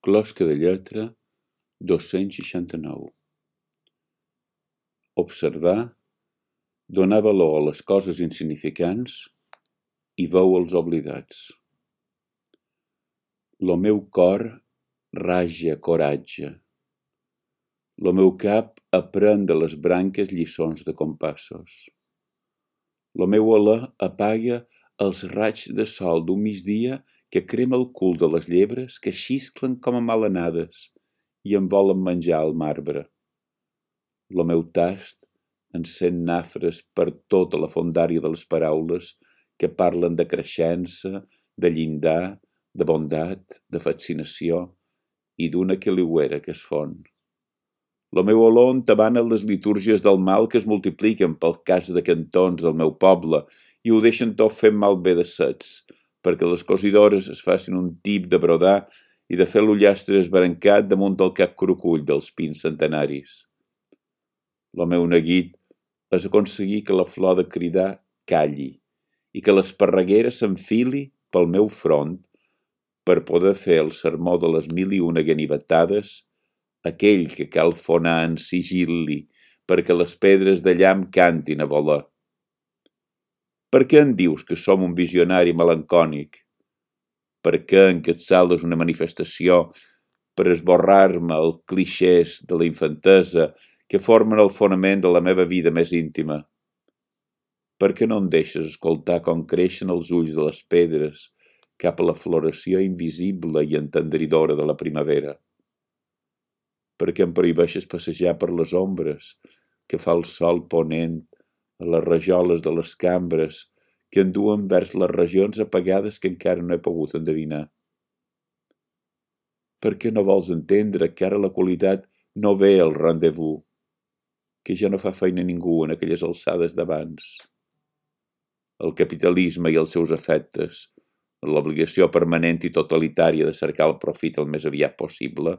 Closca de lletra 269. Observar, donar valor a les coses insignificants i veu els oblidats. Lo meu cor raja coratge. Lo meu cap aprèn de les branques lliçons de compassos. Lo meu alè apaga els raigs de sol d'un migdia que crema el cul de les llebres que xisclen com a malanades i en volen menjar el marbre. Lo meu tast encén nafres per tota la fondària de les paraules que parlen de creixença, de llindar, de bondat, de fascinació i d'una quiliuera que es fon. Lo meu olor entabana les litúrgies del mal que es multipliquen pel cas de cantons del meu poble i ho deixen tot fent malbé de sets, perquè les cosidores es facin un tip de brodar i de fer l'ullastre esbarancat damunt del cap crocull dels pins centenaris. Lo meu neguit és aconseguir que la flor de cridar calli i que l'esparreguera s'enfili pel meu front per poder fer el sermó de les 1001 ganivetades, aquell que cal fonar en sigil·li perquè les pedres de llamp cantin a voler. Per què em dius que som un visionari melancònic? Per què en Quetzal és una manifestació per esborrar-me els clixés de la infantesa que formen el fonament de la meva vida més íntima? Per què no em deixes escoltar com creixen els ulls de les pedres cap a la floració invisible i entendridora de la primavera? Per què em prohibeixes passejar per les ombres que fa el sol ponent a les rajoles de les cambres que enduen vers les regions apagades que encara no he pogut endevinar? Per què no vols entendre que ara la qualitat no ve al rendezvous, que ja no fa feina ningú en aquelles alçades d'abans? El capitalisme i els seus efectes, l'obligació permanent i totalitària de cercar el profit el més aviat possible,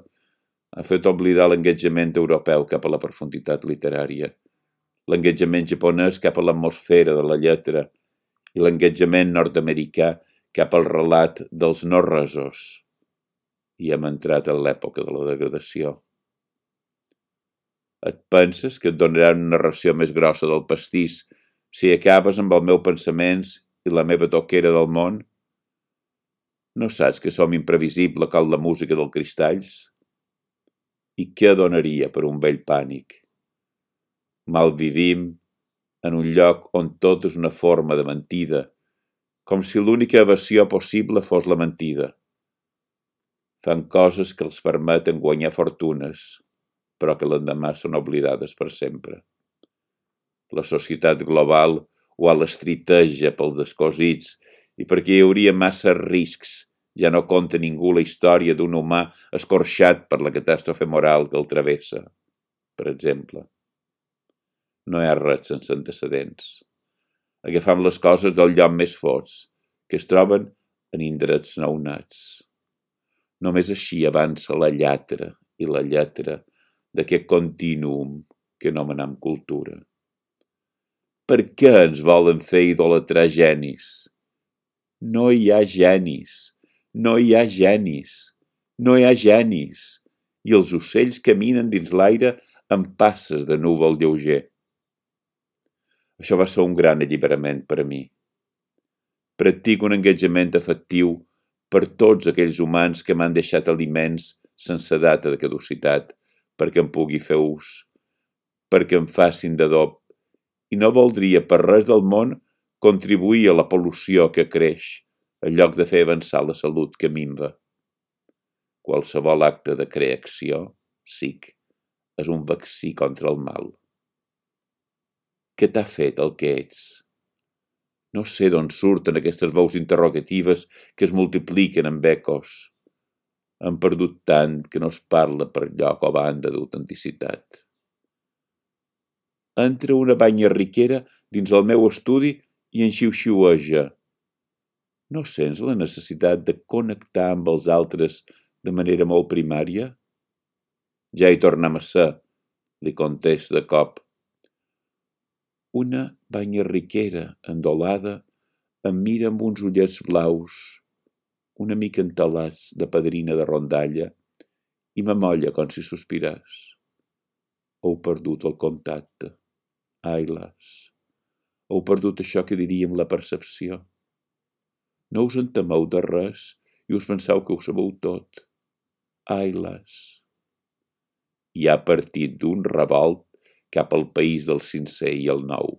ha fet oblidar l'engatjament europeu cap a la profunditat literària, l'engatjament japonès cap a l'atmosfera de la lletra i l'engatjament nord-americà cap al relat dels no-resos. I hem entrat en l'època de la degradació. Et penses que et donaran una ració més grossa del pastís si acabes amb els meus pensaments i la meva toquera del món? No saps que som imprevisible com la música dels cristalls? I què donaria per un vell pànic? Malvivim en un lloc on tot és una forma de mentida, com si l'única evasió possible fos la mentida. Fan coses que els permeten guanyar fortunes, però que l'endemà són oblidades per sempre. La societat global ho alestriteja pels descosits i perquè hi hauria massa riscs. Ja no conta ningú la història d'un humà escorxat per la catàstrofe moral que el travessa, per exemple. No hi ha res sense antecedents. Agafam les coses del lloc més fots, que es troben en indrets nounats. Només així avança la lletra i la lletra d'aquest contínuum que anomenem cultura. Per què ens volen fer idolatrar genis? No hi ha genis. No hi ha genis, no hi ha genis, i els ocells caminen dins l'aire amb passes de núvol lleuger. Això va ser un gran alliberament per a mi. Practico un engatjament afectiu per tots aquells humans que m'han deixat aliments sense data de caducitat, perquè en pugui fer ús, perquè em facin d'adob, i no voldria per res del món contribuir a la pol·lució que creix, en lloc de fer avançar la salut que minva. Qualsevol acte de creació, SIC, és un vaccí contra el mal. Què t'ha fet el que ets? No sé d'on surten aquestes veus interrogatives que es multipliquen amb ecos. Hem perdut tant que no es parla per lloc o banda d'autenticitat. Entra una banya riquera dins el meu estudi i en xiu-xiueja. No sents la necessitat de connectar amb els altres de manera molt primària? Ja hi tornem a ser, li contesto de cop. Una banya riquera, endolada, em mira amb uns ullets blaus, una mica entelats de padrina de rondalla, i m'amolla com si sospirés. Heu perdut el contacte. Ai, las. Heu perdut això que diríem la percepció. No us en temeu de res i us penseu que ho sabeu tot. Ai, las. I ha partit d'un revolt cap al país del sincer i el nou.